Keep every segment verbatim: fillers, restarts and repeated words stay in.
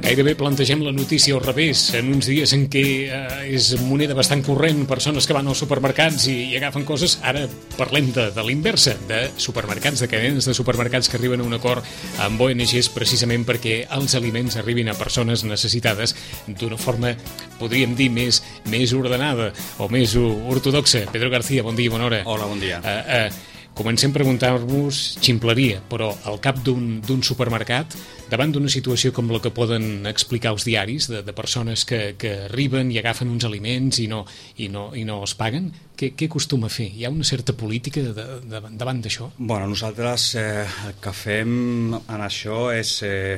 Gairebé plantegem la notícia al revés, en uns dies en què eh, és moneda bastant corrent, persones que van als supermercats i, i agafen coses. Ara parlem de, de l'inversa, de supermercats, de cadenes de supermercats que arriben a un acord amb O N Ges precisament perquè els aliments arribin a persones necessitades d'una forma, podríem dir, més, més ordenada o més ortodoxa. Pedro García, bon dia i bona hora. Hola, bon dia. Uh, uh, Comencem a preguntar-vos ximpleria, però al cap d'un supermercat, davant d'una situació com la que poden explicar els diaris, de, de persones que, que arriben i agafen uns aliments i no, i no, i no els paguen, què, què acostuma a fer? Hi ha una certa política de, de, davant d'això? Bueno, nosaltres eh, el que fem en això és eh,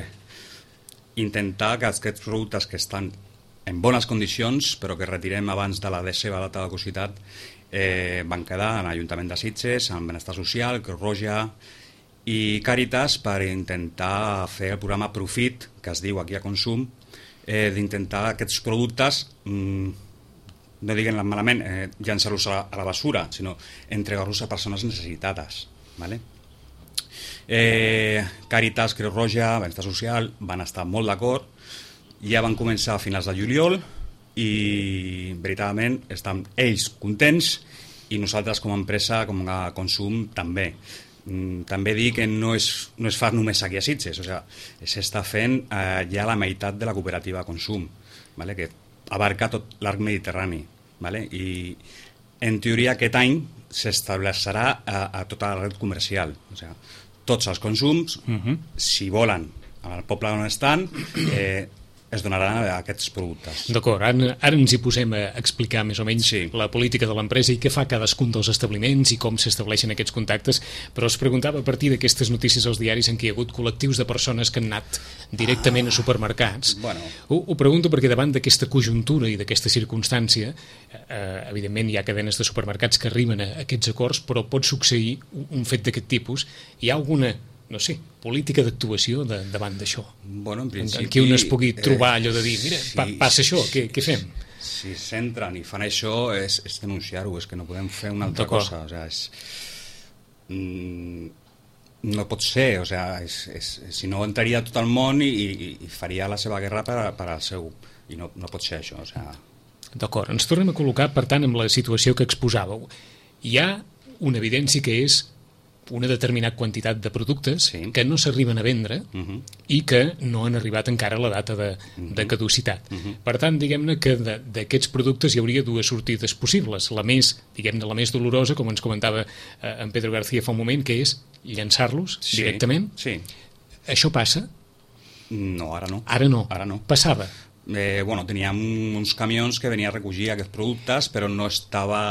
intentar que aquests productes que estan en bones condicions, però que retirem abans de la seva data de caducitat, Eh, van quedar en l'Ajuntament de Sitges, en Benestar Social, Creu Roja i Càritas per intentar fer el programa Profit, que es diu aquí a Consum, eh, d'intentar aquests productes, mmm, no diguen malament, eh, llançar-los a, a la basura, sinó entregar-los a persones necessitades. ¿Vale? Eh, Càritas, Creu Roja, Benestar Social van estar molt d'acord, ja van començar a finals de juliol, i veritablement estan ells contents i nosaltres com a empresa, com a Consum també. Mm, també dir que no és, no es fa només aquí a Sitges, o sigui, s'està fent eh, ja la meitat de la cooperativa Consum, ¿vale? Que abarca tot l'arc mediterrani, ¿vale? I en teoria aquest any s'establecerà a, a tota la red comercial, o sigui, tots els consums, uh-huh. si volen, al poble on estan, eh, es donaran a aquests productes. D'acord, ara, ara ens hi posem a explicar més o menys sí. la política de l'empresa i què fa cadascun dels establiments i com s'estableixen aquests contactes, però es preguntava a partir d'aquestes notícies als diaris en què hi ha hagut col·lectius de persones que han anat directament ah, a supermercats. Bueno. Ho, ho pregunto perquè davant d'aquesta conjuntura i d'aquesta circumstància, eh, evidentment hi ha cadenes de supermercats que arriben a aquests acords, però pot succeir un fet d'aquest tipus. Hi ha alguna no sé, política d'actuació de, davant d'això? Bueno, en principi... En què un es pugui trobar allò de dir, mira, si, pa, passa això, què, què fem? Si s'entren i fan això, és, és denunciar-ho, és que no podem fer una altra cosa. O sigui, és, mm, no pot ser, o sigui, és, és, si no entraria tot el món i, i, i faria la seva guerra per, per al seu... I no, no pot ser això, o sigui... D'acord, ens tornem a col·locar, per tant, amb la situació que exposàveu. Hi ha una evidència que és una determinada quantitat de productes sí. que no s'arriben a vendre uh-huh. i que no han arribat encara a la data de, uh-huh. de caducitat. Uh-huh. Per tant, diguem-ne que d'aquests productes hi hauria dues sortides possibles. La més, diguem-ne, la més dolorosa, com ens comentava eh, en Pedro García fa un moment, que és llançar-los sí. directament. Sí. Això passa? No, ara no. Ara no. Ara no. Passava? Eh, bueno, teníem uns camions que venien a recollir aquests productes, però no estava...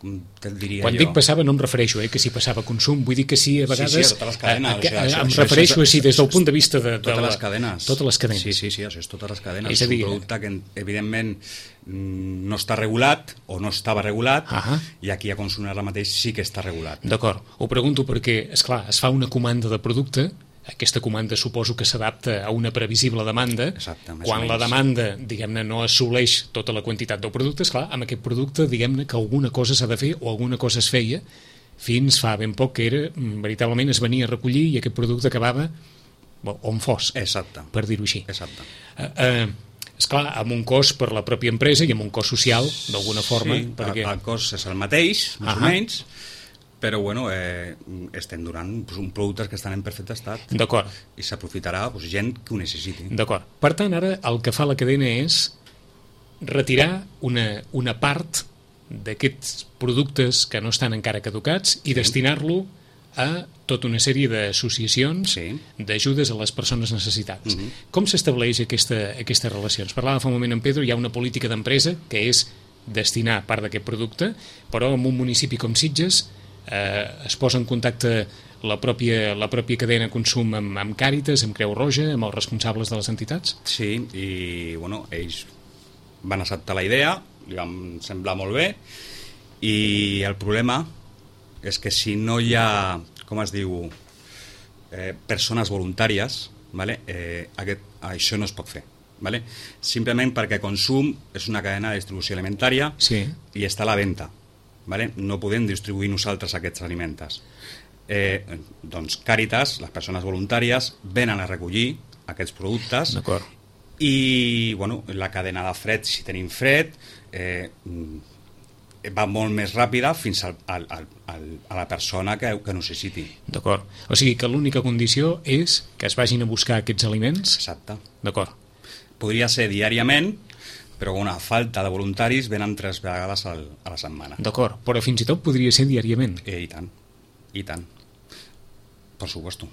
Te'l diria Quan jo. dic passava no em refereixo eh, que si passava a consum, vull dir que sí a vegades... Sí, sí, a totes les cadenes. A, a, o sigui, a, això, em això, refereixo això, així des del punt de vista de... de totes la, les cadenes. Totes les cadenes. Sí, sí, sí, això és totes les cadenes. És, a dir, és un producte que evidentment no està regulat o no estava regulat uh-huh. i aquí a Consum ara mateix sí que està regulat. D'acord, ho pregunto perquè, esclar, es fa una comanda de producte. Aquesta comanda suposo que s'adapta a una previsible demanda. Exacte, quan la demanda, diguem-ne, no assoleix tota la quantitat del producte, esclar, amb aquest producte, diguem-ne, que alguna cosa s'ha de fer o alguna cosa es feia fins fa ben poc que era, veritablement es venia a recollir i aquest producte acabava on fos, Exacte. Per dir-ho així. Exacte. Uh, uh, esclar, amb un cost per la pròpia empresa i amb un cost social, d'alguna forma. Sí, perquè... el cost és el mateix, més uh-huh. o menys, però bueno, eh, estem donant pues, un productes que estan en perfecte estat. D'acord. I s'aprofitarà pues, gent que ho necessiti. D'acord. Per tant, ara el que fa la cadena és retirar una, una part d'aquests productes que no estan encara caducats i sí. destinar-lo a tota una sèrie d'associacions sí. d'ajudes a les persones necessitades. Uh-huh. Com Com s'estableix aquesta, aquesta relació? Ens parlava fa un moment en Pedro, hi ha una política d'empresa que és destinar part d'aquest producte, però en un municipi com Sitges Eh, es posa en contacte la pròpia, la pròpia cadena Consum amb, amb Càritas, amb Creu Roja, amb els responsables de les entitats? Sí, i bueno, ells van acceptar la idea, li van semblar molt bé, i el problema és que si no hi ha, com es diu, eh, persones voluntàries, vale? eh, aquest, això no es pot fer. Vale? Simplement perquè Consum és una cadena de distribució alimentària sí. i està a la venda. Vale? No podem distribuir nosaltres aquests aliments. Eh, doncs Càritas, les persones voluntàries, venen a recollir aquests productes I bueno, la cadena de fred, si tenim fred, eh, va molt més ràpida fins al, al, al, a la persona que, que necessiti. D'acord. O sigui que l'única condició és que es vagin a buscar aquests aliments? Exacte. D'acord. Podria ser diàriament, però una falta de voluntaris venen tres vegades al, a la setmana. D'acord, però fins i tot podria ser diàriament. Eh, I tant, i tant. Per supuesto.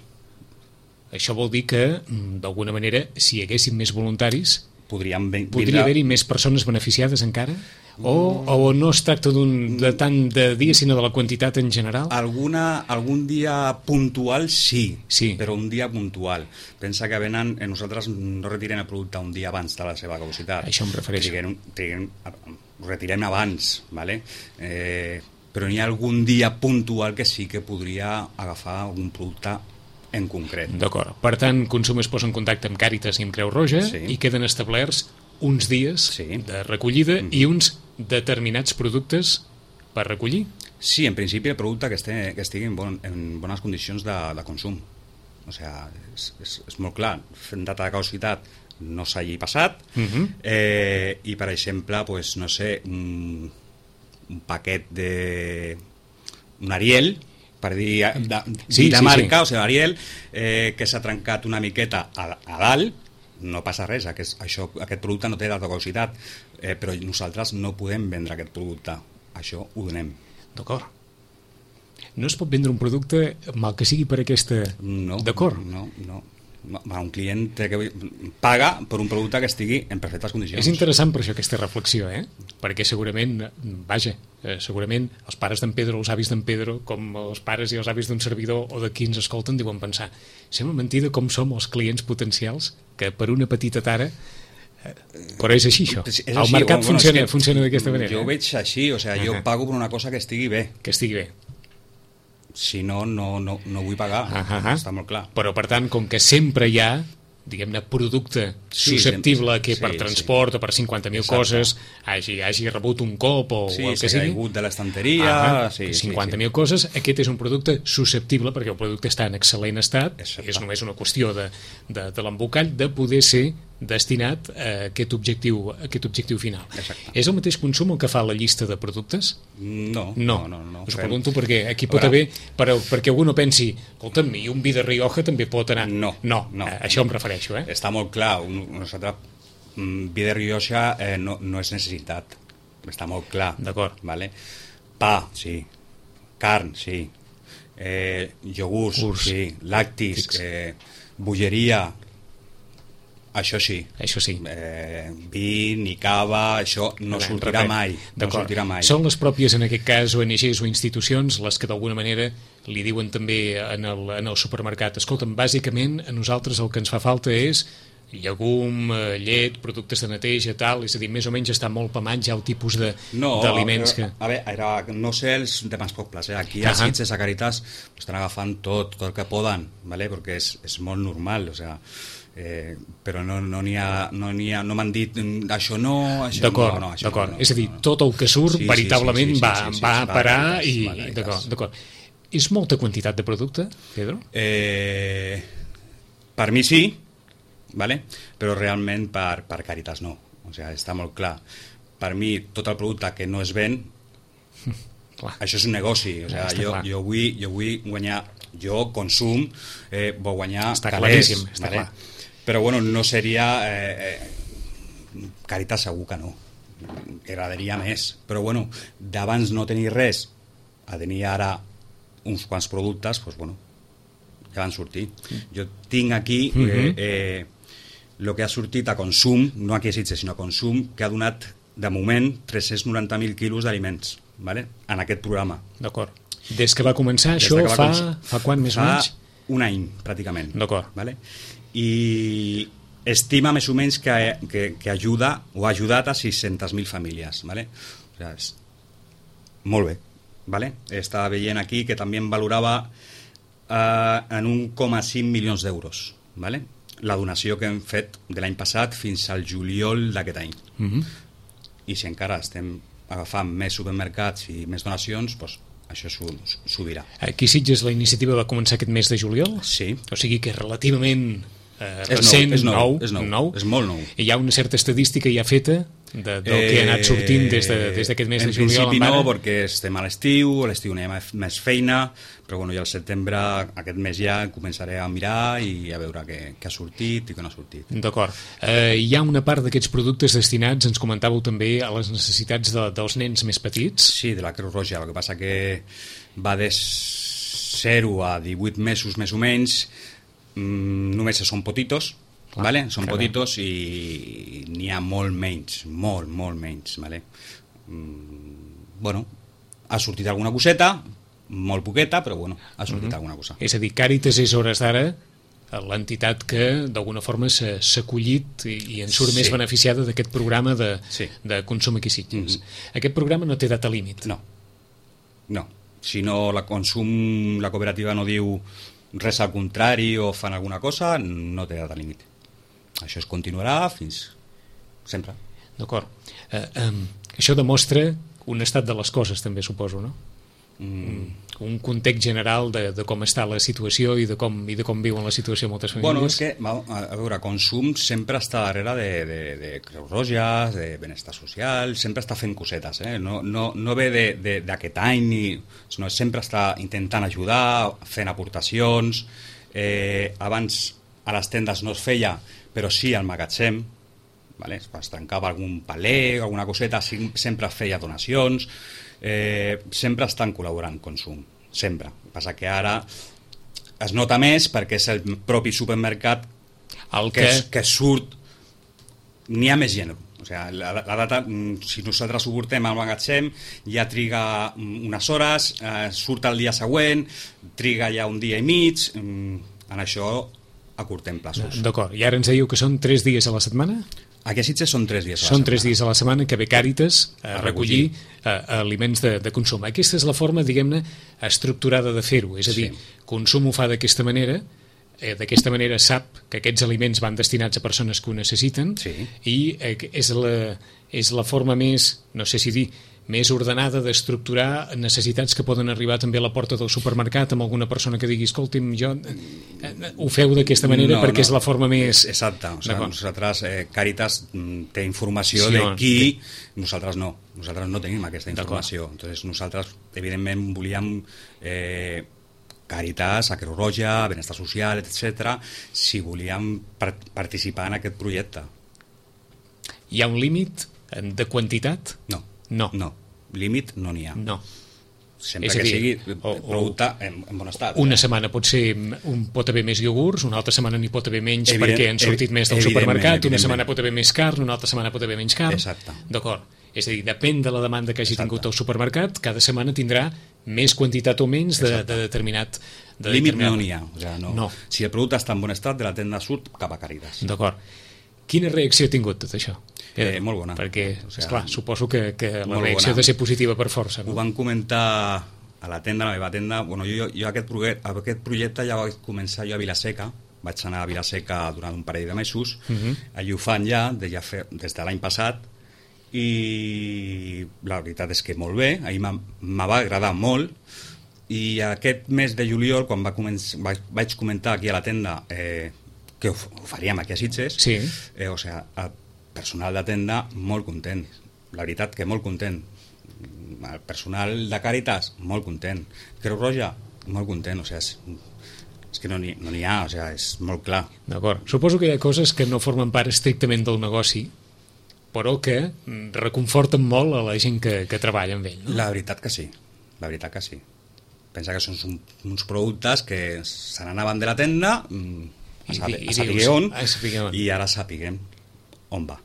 Això vol dir que, d'alguna manera, si hi haguessin més voluntaris, podríem vindre... podria haver-hi més persones beneficiades encara? O, o no es tracta d'un de tant de dia, sinó de la quantitat en general? Alguna, algun dia puntual sí, sí, però un dia puntual. Pensa que venen, eh, nosaltres no retirem el producte un dia abans de la seva caducitat. Això em refereixo. Triguem, triguem, ho retirem abans, ¿vale? eh, però n'hi ha algun dia puntual que sí que podria agafar un producte en concret. D'acord. Per tant, Consum es posa en contacte amb Càritas i amb Creu Roja sí. i queden establerts uns dies sí. de recollida mm-hmm. i uns determinats productes per recollir? Sí, en principi el producte que, este, que estigui en, bon, en bones condicions de, de consum. O sigui, és, és, és molt clar, fent data de caducitat no s'hagi passat mm-hmm. eh, i per exemple, pues, no sé, un, un paquet de un Ariel, per dir de, sí, de sí, marca, sí. o sigui, Ariel, eh, que s'ha trencat una miqueta a, a dalt, no passa res, aquest, això, aquest producte no té data de caducitat, eh, però nosaltres no podem vendre aquest producte, això ho donem. D'acord. No es pot vendre un producte mal que sigui per aquesta... No, d'acord. No, no. Un client té que paga per un producte que estigui en perfectes condicions. És interessant per això aquesta reflexió, eh? Perquè segurament, vaja, segurament els pares d'en Pedro, els avis d'en Pedro, com els pares i els avis d'un servidor o de qui ens escolten, diuen pensar, sembla mentida com som els clients potencials que per una petita tara... Però és així, això. És així, el mercat bueno, funciona, que funciona d'aquesta manera. Jo ho veig així, o sigui, uh-huh. jo pago per una cosa que estigui bé. Que estigui bé. Si no, no, no, no vull pagar, uh-huh. està molt clar. Però, per tant, com que sempre hi ha, diguem-ne, producte sí, susceptible sí, que per sí, transport sí. o per cinquanta mil coses hagi, hagi rebut un cop o, sí, o el que sigui. Sí, s'ha caigut de l'estanteria... Uh-huh. Sí, cinquanta mil sí, sí. coses, aquest és un producte susceptible, perquè el producte està en excel·lent estat, Exacte. és només una qüestió de, de, de l'embocall, de poder ser destinat a aquest objectiu, a aquest objectiu final. Exacte. És el mateix Consum el que fa la llista de productes? No, no, no, no, no us ho fem... pregunto perquè aquí pot haver, per, perquè algú no pensi, escolta'm, i un vi de Rioja també pot anar. No, no, no a això em refereixo. Eh? Està molt clar, nosaltres, vi de Rioja eh, no, no és necessitat, està molt clar. D'acord. Vale? Pa, sí, carn, sí, eh, iogurts, Urs. sí, lactis, eh, bolleria, això sí. Això sí. Eh, vi ni cava, això no Bé, sortirà mai. No sortirà mai. Són les pròpies, en aquest cas, O N Ges o institucions, les que d'alguna manera li diuen també en el, en el supermercat. Escolta'm, bàsicament a nosaltres el que ens fa falta és llegum, llet, productes de neteja, tal, és a dir, més o menys està molt pamant ja el tipus d'aliments no, que... A veure, era, no sé els demás pobles, eh? Aquí a uh-huh. Sitges, a Càritas, estan agafant tot, tot el que poden, ¿vale? Perquè és, és molt normal, o sea, eh, però no n'hi no ha, no, ha, no m'han dit això no, això d'acord, no, no, això d'acord. no, no, és a dir, no, no. tot el que surt sí, veritablement sí, sí, sí, va, sí, sí, sí, va sí, a parar va, i... va, d'acord, d'acord. És molta quantitat de producte, Pedro? Eh, per mi sí, ¿vale? Però realment per, per Càritas no, o sigui, està molt clar. Per mi tot el producte que no es ven clar. Això és un negoci, o sigui, jo, jo, vull, jo vull guanyar, jo consum eh, vull guanyar està calés, claríssim, està ¿vale? clar. Però bueno, no seria eh, eh, Càritas segur que no, agradaria més, però bueno, d'abans no tenir res a tenir ara uns quants productes, doncs bueno, ja van sortir. Jo tinc aquí eh, eh, el que ha sortit a Consum, no aquí a Sitges, sinó a Consum, que ha donat de moment tres-cents noranta mil quilos d'aliments, ¿vale? En aquest programa. D'acord. Des que va començar Des això va fa, començar. fa quant més o fa menys? Un any, pràcticament. D'acord. ¿Vale? I estima més o menys que, que, que ajuda o ha ajudat a sis-centes mil famílies, ¿vale? O sea, és molt bé, ¿vale? Estava veient aquí que també em valorava eh, en un coma cinc milions d'euros, ¿vale? La donació que hem fet de l'any passat fins al juliol d'aquest any. Mm-hmm. I si encara estem agafant més supermercats i més donacions, doncs això s'ho dirà. Aquí a Sitges la iniciativa va començar aquest mes de juliol? Sí. O sigui que relativament eh, recent, és nou, nou, és nou, nou, és molt nou. I hi ha una certa estadística ja feta de, del eh, que ha anat sortint des d'aquest de, mes de juliol. En principi no, perquè estem a l'estiu, a l'estiu no hi ha més feina, però bueno, ja al setembre, aquest mes ja, començaré a mirar i a veure què, què ha sortit i què no ha sortit. D'acord. Eh, hi ha una part d'aquests productes destinats, ens comentàveu també, a les necessitats de, dels nens més petits? Sí, de la Creu Roja, el que passa que va de zero a divuit mesos més o menys, mmm, només són potitos, ah, vale? Són carai. Potitos i n'hi ha molt menys, molt, molt menys, vale? Mm, bueno, ha sortit alguna coseta, molt poqueta, però bueno, ha sortit uh-huh. alguna cosa. És a dir, Càritas és hores d'ara l'entitat que d'alguna forma s'ha acollit i, i en surt sí. més beneficiada d'aquest programa de, sí. de consum aquí Sitges. Uh-huh. Aquest programa no té data límit. No, no. Si no la consum, la cooperativa no diu res al contrari o fan alguna cosa, no té data límit. Això es continuarà fins sempre. D'acord. Eh, eh, això demostra un estat de les coses, també, suposo, no? Mm. Un context general de, de com està la situació i de com, i de com viuen la situació moltes famílies. Bueno, és que, a veure, consum sempre està darrere de, de, de Creu Roja, de benestar social, sempre està fent cosetes, eh? No, no, no ve d'aquest any, ni, sinó sempre està intentant ajudar, fent aportacions. Eh, abans a les tendes no es feia, però sí al magatzem, vale? Es trencava algun paler, alguna coseta, sempre es feia donacions. Eh, sempre estan col·laborant consum, sempre. El que passa que ara es nota més perquè és el propi supermercat el que, que, que surt, n'hi ha més gent. O sigui, la, la data, si nosaltres ho portem al magatzem, ja triga unes hores, eh, surt el dia següent, triga ja un dia i mig, en això acortem plaços. D'acord, i ara ens dèieu que són tres dies a la setmana? Aquí a Sitges són tres dies a la són setmana. tres dies a la setmana que ve Càritas a, a recollir a, a aliments de, de consum. Aquesta és la forma, diguem-ne, estructurada de fer-ho. És a dir, sí. Consum ho fa d'aquesta manera, eh, d'aquesta manera sap que aquests aliments van destinats a persones que ho necessiten sí. i eh, és, la, és la forma més, no sé si dir, més ordenada d'estructurar necessitats que poden arribar també a la porta del supermercat amb alguna persona que digui, escolti'm, jo ho feu d'aquesta manera no, perquè no. és la forma més... Exacte, o sigui, nosaltres, eh, Càritas té informació sí, de qui, sí. nosaltres no, nosaltres no tenim aquesta informació, entonces nosaltres evidentment volíem eh, Càritas, a Creu Roja, Benestar Social, etcètera, si volíem part participar en aquest projecte. Hi ha un límit de quantitat? No. No. No, límit no n'hi ha. No. Sempre és que dir, sigui o, producte en, en bon estat. Una eh? setmana pot ser un, pot haver més iogurts, una altra setmana n'hi pot haver menys Evident, perquè han sortit més del supermercat, una setmana pot haver més carn, una altra setmana pot haver menys carn. Exacte. D'acord. És a dir, depèn de la demanda que hagi Exacte. tingut el supermercat, cada setmana tindrà més quantitat o menys de, de determinat... De límit determinat... no n'hi ha. O sigui, no. no. Si el producte està en bon estat, de la tenda surt cap a Càritas. D'acord. Quina reacció ha tingut tot això? Eh, molt bona. Perquè, o sigui, esclar, suposo que, que la reacció bona. ha de ser positiva per força. No? Ho van comentar a la tenda, a la meva tenda. Bueno, jo, jo aquest, projecte, aquest projecte ja vaig començar jo a Vilaseca. Vaig anar a Vilaseca durant un parell de mesos. Uh -huh. Allí ho fan ja, de ja fer, des de l'any passat. I la veritat és que molt bé. Ahir me va agradar molt. I aquest mes de juliol, quan va començar, vaig, vaig comentar aquí a la tenda eh, que ho, ho faríem aquí a Sitges, sí. eh, o sigui, el personal de tenda molt content, la veritat que molt content, el personal de Càritas molt content, Creu Roja molt content, o sigui, és, és que no n'hi no n'hi ha, o sigui, és molt clar. D'acord, suposo que hi ha coses que no formen part estrictament del negoci, però que reconforten molt a la gent que, que treballa amb ell, no? La veritat que sí, la veritat que sí. Pensa que són uns productes que se n'anaven de la tenda a, saber, I, i, a saber on a saber on. I ara sapiguem on va.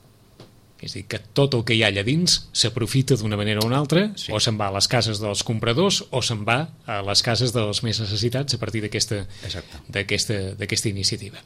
És a dir, que tot el que hi ha allà dins s'aprofita d'una manera o una altra, sí. o se'n va a les cases dels compradors o se'n va a les cases dels més necessitats a partir d'aquesta d'aquesta iniciativa.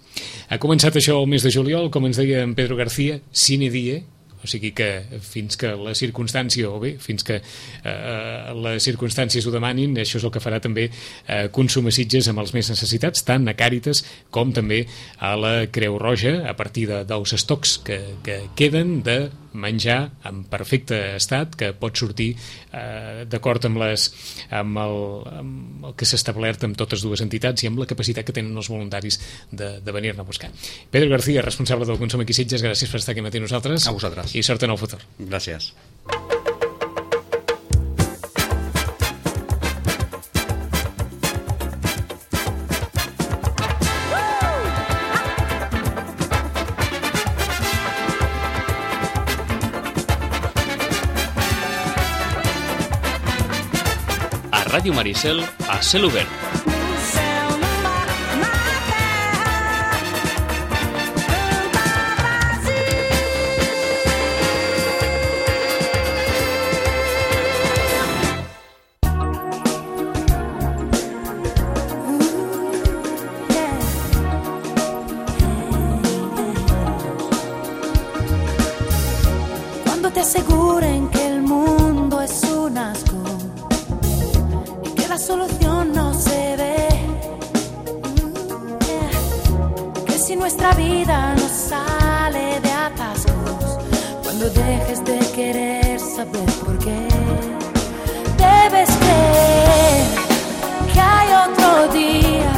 Ha començat això el mes de juliol, com ens deia en Pedro García, sine die, o sigui que fins que la circumstància, o bé, fins que eh, les circumstàncies ho demanin, això és el que farà també eh, Consum a Sitges amb els més necessitats, tant a Càritas com també a la Creu Roja, a partir de, dels estocs que, que queden de menjar en perfecte estat, que pot sortir eh, d'acord amb, les, amb, el, amb el que s'ha establert amb totes dues entitats i amb la capacitat que tenen els voluntaris de, de venir-ne a buscar. Pedro García, responsable del Consum aquí a Sitges, gràcies per estar aquí matí amb nosaltres. A vosaltres. I sort en el futur. Gràcies. A Ràdio Maricel, a cel obert. Cuando te aseguren que el mundo es un asco y que la solución no se ve, que si nuestra vida no sale de atascos, cuando dejes de querer saber por qué, debes creer que hay otro día,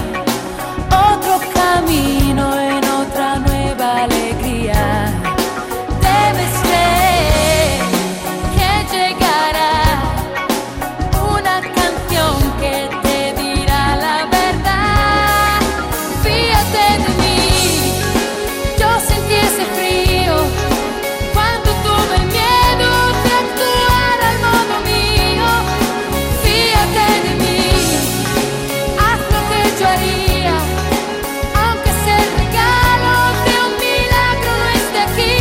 otro camino en otra nueva alegría. Debes creer que llegará una canción que te dirá la verdad. Fíjate de mí, yo sentí ese frío cuando tuve el miedo de actuar al modo mío. Fíjate de mí, haz lo que yo haría, aunque sea el regalo de un milagro no esté aquí.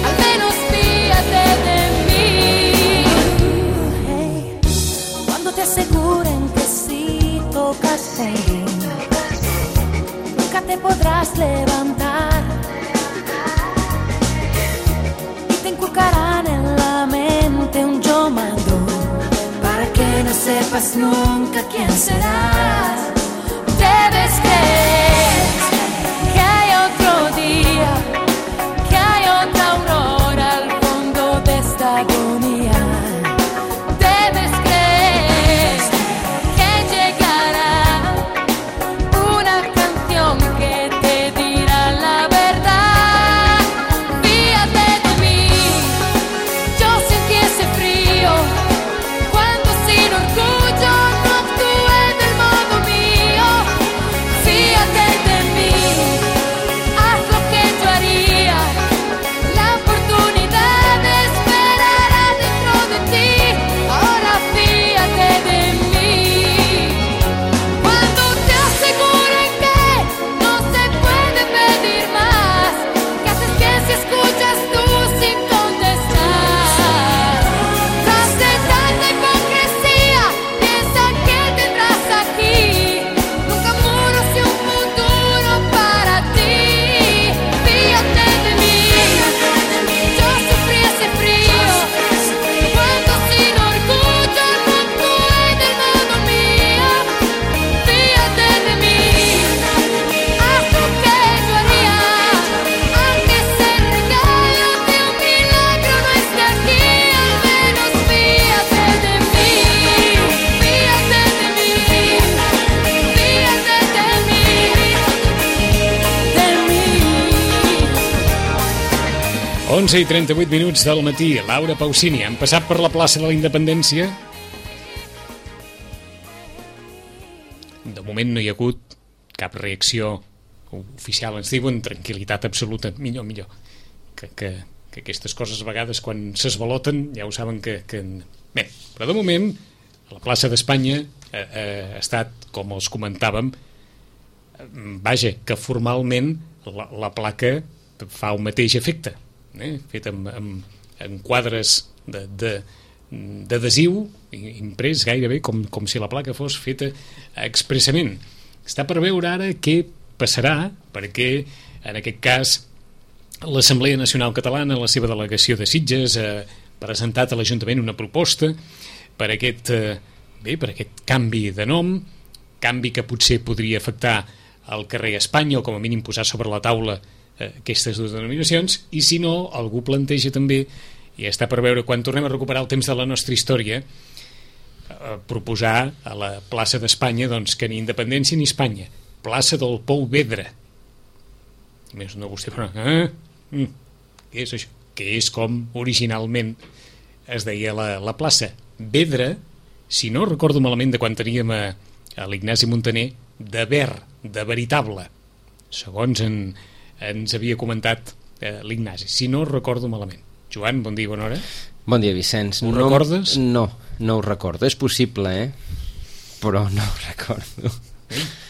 Al menos fíjate de mí. Hey, cuando te aseguren que si tocas fondo nunca te podrás levantar y te inculcarán en la mente un yo mando para que no sepas nunca quién serás. Debes creer que hay otro día, que hay otra aurora al fondo de esta agonía. Debes creer que llegará una canción que te dirá la verdad. Fíjate de mí, yo sentí ese frío cuando sin orgullo no actué del modo mío. Fíjate de mí, haz lo que yo haría, la oportunidad esperará dentro de ti. Ahora fíjate de mí. Cuando te aseguren que no se puede pedir más, ¿qué haces bien si escuchas tú sin contestar? Tras de tanta hipocresía, piensa que tendrás aquí nunca muros y un futuro para ti. Fíjate de mí, yo sufrí ese frío cuando sin orgullo no actué del modo mío. Fíjate de mí, haz lo que yo haría, aunque ese regalo de un milagro no esté aquí. Al menos fíjate de mí, fíjate de mí, fíjate de mí, de mí. onze i trenta-vuit minuts del matí. Laura Pausini, han passat per la plaça de la Independència. De moment no hi ha hagut cap reacció oficial. Ens diuen tranquil·litat absoluta. Millor, millor. Que, que, que aquestes coses a vegades quan s'esvaloten ja ho saben que... que... Bé, però de moment a la plaça d'Espanya eh, eh, ha estat, com els comentàvem, eh, vaja, que formalment la, la placa fa el mateix efecte, eh? Fet amb, amb, amb quadres de, de, d'adhesiu imprès gairebé com, com si la placa fos feta expressament. Està per veure ara què passarà, perquè en aquest cas l'Assemblea Nacional Catalana, la seva delegació de Sitges, ha presentat a l'Ajuntament una proposta per aquest, eh, bé, per aquest canvi de nom, canvi que potser podria afectar el carrer Espanya o com a mínim posar sobre la taula eh, aquestes dues denominacions, i si no, algú planteja també, i està per veure quan tornem a recuperar el temps de la nostra història, eh, proposar a la plaça d'Espanya doncs, que ni independència ni Espanya, plaça del Pou Vedra. I més no vostè però, eh? Mm, què és això? Que és com originalment es deia la, la plaça. Vedra, si no recordo malament de quan teníem a, a l'Ignasi Montaner, de ver, de veritable, segons en, ens havia comentat eh, l'Ignasi, si no recordo malament. Joan, bon dia, bona hora. Bon dia, Vicenç. Ho no, recordes? No, no ho recordo. És possible, eh? Però no ho recordo.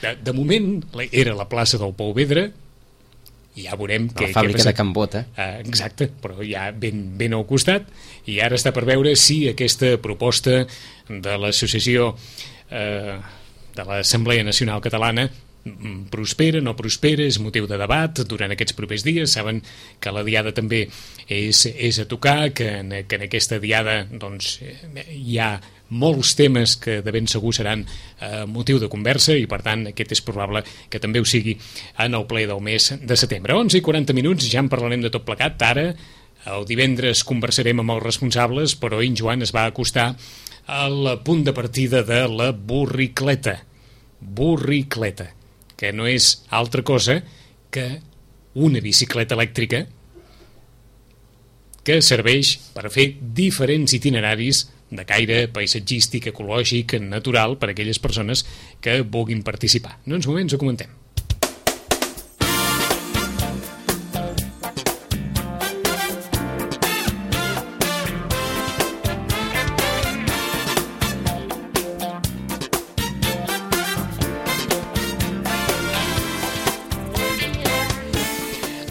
De, de moment era la plaça del Pou Vedra, i ja veurem què, la fàbrica què de Can Bota. Uh, exacte, però ja ben, ben al costat, i ara està per veure si aquesta proposta de l'associació eh, de l'Assemblea Nacional Catalana prospera, no prospera, és motiu de debat durant aquests propers dies. Saben que la diada també és, és a tocar, que en, que en aquesta diada doncs, hi ha molts temes que de ben segur seran eh, motiu de conversa, i per tant aquest és probable que també ho sigui en el ple del mes de setembre. onze i quaranta minuts, ja en parlarem de tot plegat. Ara, el divendres, conversarem amb els responsables, però en Joan es va acostar al punt de partida de la borricleta. Borricleta, que no és altra cosa que una bicicleta elèctrica que serveix per fer diferents itineraris de caire paisatgístic, ecològic, natural, per a aquelles persones que vulguin participar. En uns moments ho comentem.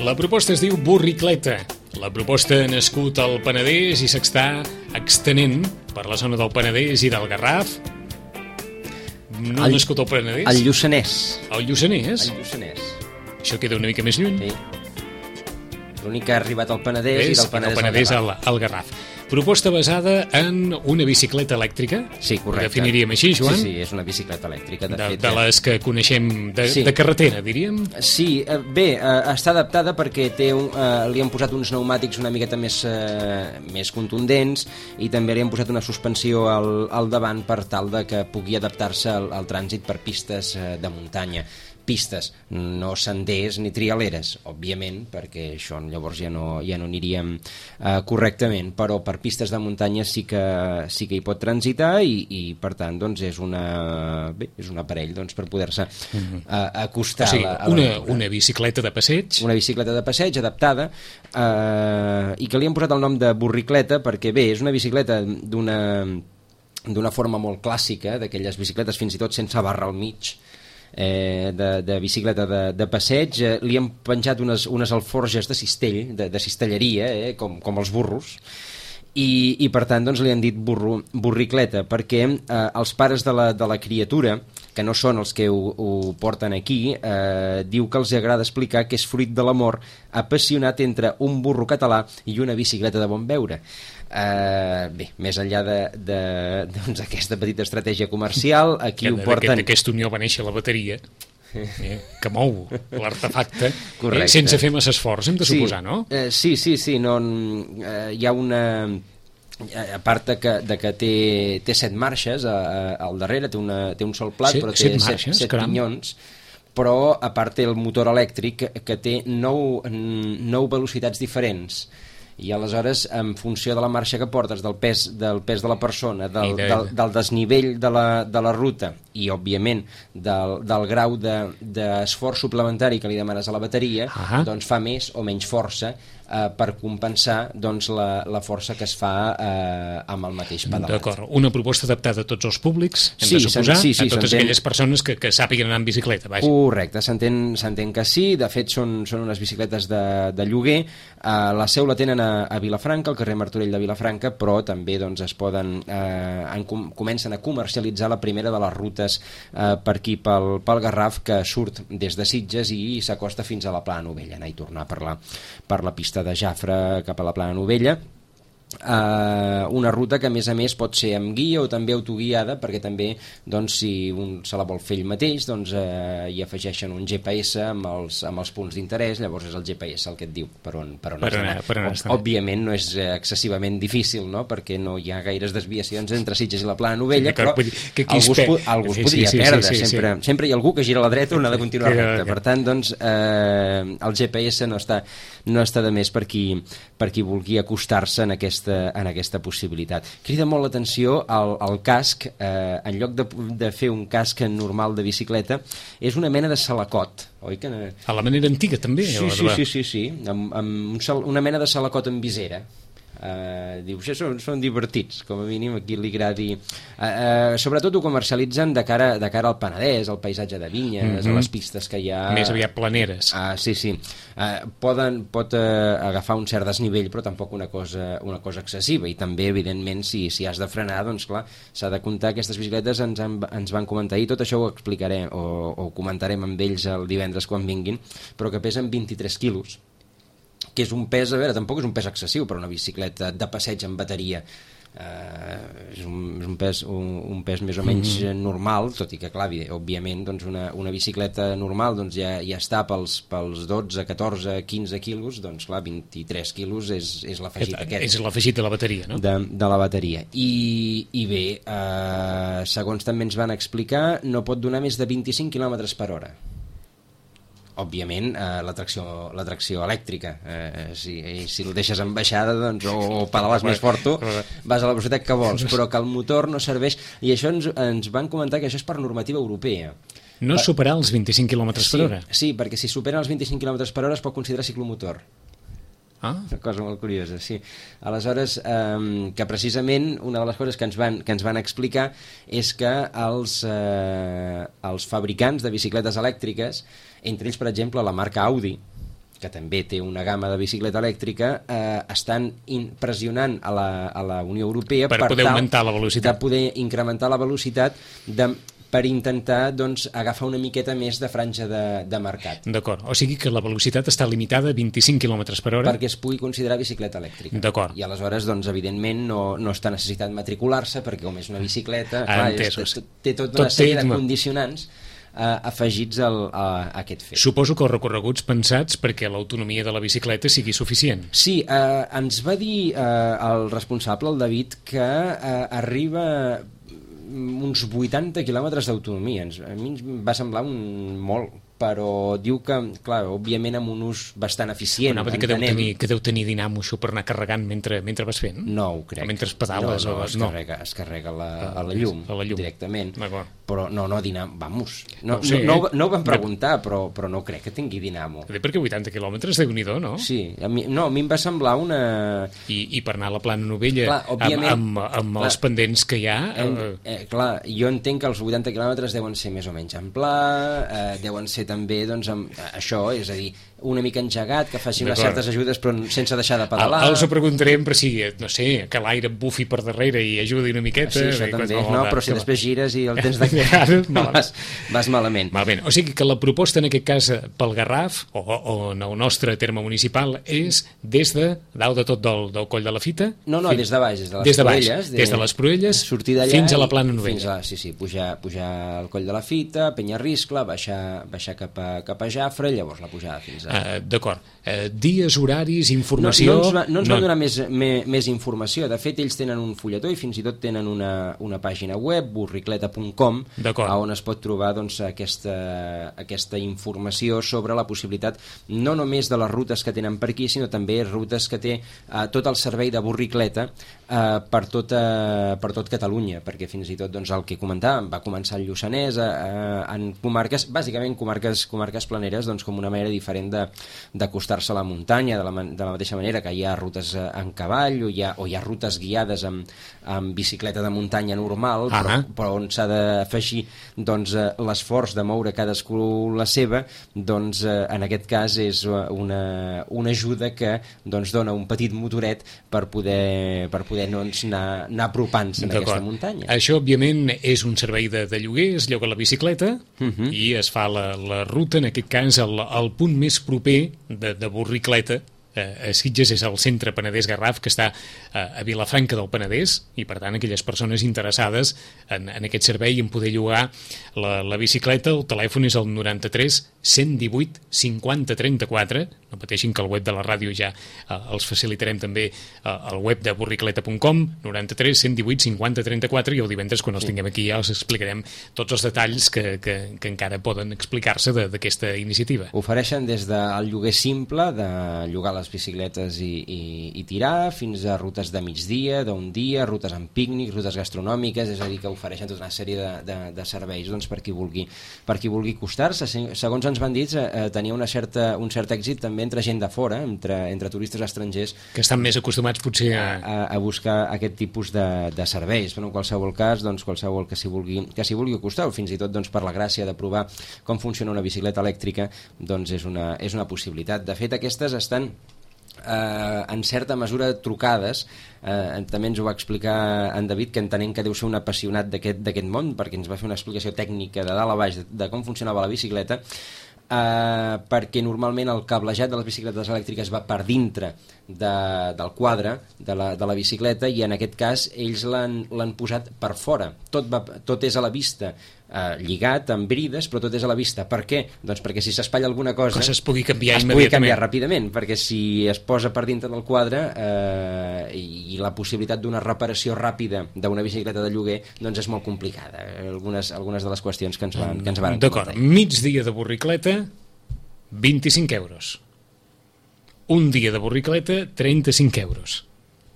La proposta es diu Borricleta. La proposta ha nascut al Penedès i s'està extenent per la zona del Penedès i del Garraf. No ha nascut al Penedès? Al Lluçanès. Al Lluçanès? Al Lluçanès. Això queda una mica més lluny. Sí. L'únic que ha arribat al Penedès és, i del Penedès, Penedès al Garraf. al, al Garraf. Proposta basada en una bicicleta elèctrica. Sí, correcte. Ho definiríem així, Joan? Sí, sí, és una bicicleta elèctrica. De, De, fet, de les que coneixem de, sí. de carretera, diríem? Sí, eh, bé, eh, està adaptada perquè té un, eh, li han posat uns pneumàtics una miqueta més, eh, més contundents, i també li han posat una suspensió al, al davant per tal de que pugui adaptar-se al, al trànsit per pistes eh, de muntanya. Pistes, no senders ni trialeres, òbviament, perquè això llavors ja no, ja no aniríem eh, correctament, però per pistes de muntanya sí que, sí que hi pot transitar, i, i per tant doncs, és, una, bé, és un aparell doncs, per poder-se eh, acostar. O sigui, a la, a una, la una bicicleta de passeig. Una bicicleta de passeig adaptada, eh, i que li han posat el nom de borricleta perquè, bé, és una bicicleta d'una d'una forma molt clàssica, d'aquelles bicicletes fins i tot sense barra al mig, Eh, de, de bicicleta de, de passeig. Eh, li han penjat unes, unes alforges de cistell, de, de cistelleria, eh, com, com els burros, i, i per tant doncs, li han dit burro, borricleta, perquè eh, els pares de la, de la criatura, que no són els que ho, ho porten aquí, eh, diu que els agrada explicar que és fruit de l'amor apassionat entre un burro català i una bicicleta de bon veure. Uh, bé, més enllà d'aquesta de, de, doncs, petita estratègia comercial, aquí ho porten... D'aquesta unió va néixer la bateria, eh, que mou l'artefacte, eh, sense fer massa esforç, hem de sí, suposar, no? Eh, sí, sí, sí, no, eh, hi ha una... A part de que, de que té, té set marxes a, a, al darrere, té, una, té un sol plat, set, però té set, set, marxes, set pinyons, però a part té el motor elèctric que, que té nou, nou velocitats diferents, i aleshores en funció de la marxa que portes, del pes, del pes de la persona, del, de... del, del desnivell de la, de la ruta, i òbviament del, del grau d'esforç de, suplementari que li demanes a la bateria, uh -huh. doncs fa més o menys força eh, per compensar doncs, la, la força que es fa eh, amb el mateix pedalat. D'acord, una proposta adaptada a tots els públics, hem Sí, de suposar, sí, sí, a totes s'entén. aquelles persones que, que sàpiguen anar en bicicleta, vaja. Correcte, s'entén s'entén que sí, de fet són, són unes bicicletes de, de lloguer, uh, la seu la tenen a, a Vilafranca, al carrer Martorell de Vilafranca, però també doncs, es poden, eh, en, com, comencen a comercialitzar la primera de les rutes eh, per aquí pel, pel Garraf, que surt des de Sitges i s'acosta fins a la Plana Novella, anar i tornar per la, per la pista de Jafre cap a la Plana Novella. Uh, una ruta que a més a més pot ser amb guia o també autoguiada, perquè també doncs, si un se la vol fer ell mateix doncs, uh, hi afegeixen un G P S amb els, amb els punts d'interès, llavors és el G P S el que et diu per on, per on Per has anar, d'anar. per anar, Òb- Òbviament no és eh, excessivament difícil, no? Perquè no hi ha gaires desviacions entre Sitges i la Plana Novella, Sí, d'acord, però vull dir que aquí es algú es, pe- po- algú es Sí, podria sí, sí, perdre, sí, sí, sempre, sí. sempre hi ha algú que gira la dreta o n'ha de continuar Que- recte, que- per tant doncs, eh, el G P S no està, no està de més per qui, per qui vulgui acostar-se en aquesta, en aquesta possibilitat. Crida molt l'atenció el, el casc, eh, en lloc de, de fer un casc normal de bicicleta, és una mena de salacot, oi que... A la manera antiga també. Sí, o sí, de- sí, sí, sí, amb, amb un sal, una mena de salacot amb visera. Uh, dius, ja són, són divertits, com a mínim aquí li agradi. Uh, uh, sobretot ho comercialitzen de cara, de cara al Penedès, al paisatge de vinyes, mm -hmm. a les pistes que hi ha... Més aviat planeres. Uh, sí, sí. Uh, poden, pot uh, agafar un cert desnivell, però tampoc una cosa, una cosa excessiva, i també, evidentment, si, si has de frenar, doncs clar, s'ha de comptar. Aquestes bicicletes ens, han, ens van comentar, i tot això ho explicaré, o, o ho comentarem amb ells el divendres quan vinguin, però que pesen vint-i-tres quilos, que és un pes, a veure, tampoc és un pes excessiu per una bicicleta de passeig amb bateria. Uh, és, un, és un, pes, un, un pes més o menys mm-hmm. normal, tot i que, clar, òbviament, doncs una, una bicicleta normal doncs ja, ja està pels, pels dotze, catorze, quinze quilos, doncs clar, vint-i-tres quilos és, és l'afegit aquest. És l'afegit de la bateria, no? De, de la bateria. I, i bé, uh, segons també ens van explicar, no pot donar més de vint-i-cinc quilòmetres per hora. Òbviament, eh, la tracció, la tracció elèctrica, eh, si, si el deixes en baixada doncs, o, o pedales més fort tu, vas a la velocitat que vols, però que el motor no serveix, i això ens, ens van comentar que això és per normativa europea. No Va, superar els vint-i-cinc quilòmetres sí, per hora. sí, perquè si superen els vint-i-cinc quilòmetres per hora es pot considerar ciclomotor. Ah, Una cosa molt curiosa, sí. Aleshores, eh, que precisament una de les coses que ens van, que ens van explicar és que els, eh, els fabricants de bicicletes elèctriques, entre ells, per exemple, la marca Audi, que també té una gamma de bicicleta elèctrica, eh, estan in, pressionant a la, a la Unió Europea Per poder tal augmentar la velocitat. de poder incrementar la velocitat de, per intentar doncs, agafar una miqueta més de franja de, de mercat, d'acord. O sigui que la velocitat està limitada a vint-i-cinc quilòmetres per hora. perquè es pugui considerar bicicleta elèctrica. D'acord. I aleshores, doncs, evidentment, no, no està necessitat matricular-se, perquè com és una bicicleta, Ah, clar, entès. és, té, té tota Tot una sèrie té- de condicionants eh, afegits al, a, a aquest fet. Suposo que els recorreguts pensats perquè l'autonomia de la bicicleta sigui suficient. Sí, eh, ens va dir eh, el responsable, el David, que eh, arriba uns vuitanta quilòmetres d'autonomia. Ens- A mi ens va semblar un molt, però diu que, clar, òbviament amb un ús bastant eficient. Anava a dir que deu, entenem. tenir, que deu tenir dinamo això per anar carregant mentre, mentre vas fent. No ho crec. O mentre pedales. no, no, o... es, carrega, es carrega la, a la llum, a la llum. directament. D'acord. Però no, no, dinamo, vamos. No, No ho sé, no, no, eh? no ho vam preguntar, però, però no crec que tingui dinamo. Bé, perquè vuitanta quilòmetres, déu-n'hi-do, no? Sí, a mi, no, a mi em va semblar una... I, I per anar a la Plana Novella, Clar, amb, òbviament, amb, amb clar, els pendents que hi ha... En, Eh, eh, clar, jo entenc que els vuitanta quilòmetres deuen ser més o menys en pla, eh, deuen ser també, doncs, amb, eh, això, és a dir, una mica engegat, que faci unes D'acord. certes ajudes però sense deixar de el, pedalar. els ho preguntarem per si, no sé, que l'aire et bufi per darrere i ajudi una miqueta. Sí, això i també, qualsevol no? de- Però si que- després gires i el tens de... Malament. vas, vas malament. Malament. O sigui que la proposta en aquest cas pel Garraf, o, o en el nostre terme municipal, és des de dalt de tot del, del coll de la Fita? No, no, fins- des de baix, des de les des de baix, Proelles. des de les Proelles sortir d'allà fins a la i- Plana Fins Novella. a, sí, sí, pujar, pujar al coll de la Fita, Penyarriscle, baixar, baixar cap, a, cap a Jafre, llavors la pujada fins a... Uh, D'acord. Uh, dies, horaris, No, informació... no, ens va, no ens van donar més, més, més informació. De fet, ells tenen un fulletó i fins i tot tenen una, una pàgina web, burricleta punt com, D'acord. on es pot trobar doncs, aquesta, aquesta informació sobre la possibilitat no només de les rutes que tenen per aquí, sinó també rutes que té eh, tot el servei de burricleta eh, per, tot, eh, per tot Catalunya, perquè fins i tot doncs, el que comentàvem va començar el Lluçanès eh, en comarques, bàsicament comarques, comarques planeres, doncs, com una manera diferent d'acostar-se a la muntanya, de la, de la mateixa manera que hi ha rutes en cavall o hi ha, o hi ha rutes guiades amb, amb bicicleta de muntanya normal, ah, però, però on s'ha d'afegir doncs, l'esforç de moure cadascú la seva, doncs en aquest cas és una, una ajuda que doncs, dona un petit motoret per poder, per poder doncs, anar, anar apropant-se en aquesta muntanya. Això, òbviament, és un servei de, de lloguer, es lloga la bicicleta uh -huh. i es fa la, la ruta, en aquest cas, el, el punt més proper de, de Borricleta, a Sitges, és el centre Penedès Garraf, que està a Vilafranca del Penedès, i per tant aquelles persones interessades en, en aquest servei en poder llogar la, la bicicleta, el telèfon és el noranta-tres cent divuit cinquanta trenta-quatre, no pateixin que el web de la ràdio ja eh, els facilitarem també eh, el web de borricleta punt com, noranta-tres cent divuit cinquanta trenta-quatre, i el divendres quan els tinguem aquí ja els explicarem tots els detalls que, que, que encara poden explicar-se d'aquesta iniciativa. Ofereixen des del lloguer simple, de llogar les bicicletes i, i, i tirar, fins a rutes de migdia, d'un dia, rutes amb pícnic, rutes gastronòmiques, és a dir, que ofereixen tota una sèrie de, de, de serveis doncs, per qui vulgui, per qui vulgui acostar-se. Segons ens van dir, eh, tenia una certa, un cert èxit també entre gent de fora, entre, entre turistes estrangers, que estan més acostumats potser a, a, a buscar aquest tipus de, de serveis. Però en qualsevol cas, doncs, qualsevol que s'hi vulgui, que s'hi vulgui acostar, o fins i tot doncs, per la gràcia de provar com funciona una bicicleta elèctrica, doncs és una, és una possibilitat. De fet, aquestes estan Eh, en certa mesura trucades, eh, també ens ho va explicar en David, que entenem que deu ser un apassionat d'aquest món, perquè ens va fer una explicació tècnica de dalt a baix de, de com funcionava la bicicleta, eh, perquè normalment el cablejat de les bicicletes elèctriques va per dintre de, del quadre de la, de la bicicleta, i en aquest cas ells l'han posat per fora, tot, va, tot és a la vista, eh, lligat amb brides, però tot és a la vista. Per què? Doncs perquè si s'espatlla alguna cosa, cosa es pugui canviar es immediatament, pugui canviar ràpidament, perquè si es posa per dintre del quadre eh, i, i la possibilitat d'una reparació ràpida d'una bicicleta de lloguer doncs és molt complicada, algunes, algunes de les qüestions que ens van, que ens van D'acord, migdia de Borricleta vint-i-cinc euros, un dia de Borricleta trenta-cinc euros,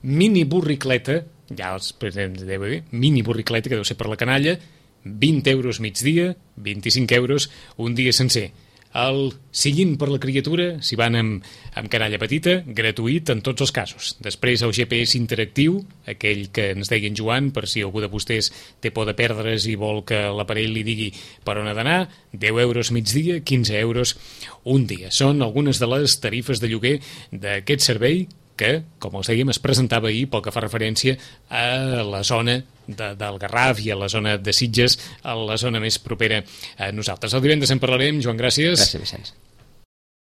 mini Borricleta, ja els presents deu dir, mini Borricleta, que deu ser per la canalla, vint euros migdia, vint-i-cinc euros un dia sencer. El sillín per la criatura, si van amb, amb canalla petita, gratuït en tots els casos. Després el G P S interactiu, aquell que ens deien Joan, per si algú de vostès té por de perdre's i vol que l'aparell li digui per on ha d'anar, deu euros migdia, quinze euros un dia. Són algunes de les tarifes de lloguer d'aquest servei que, com els dèiem, es presentava ahir pel que fa referència a la zona de, del Garraf i a la zona de Sitges, a la zona més propera a nosaltres. El divendres en parlarem. Joan, gràcies. Gràcies, Vicenç.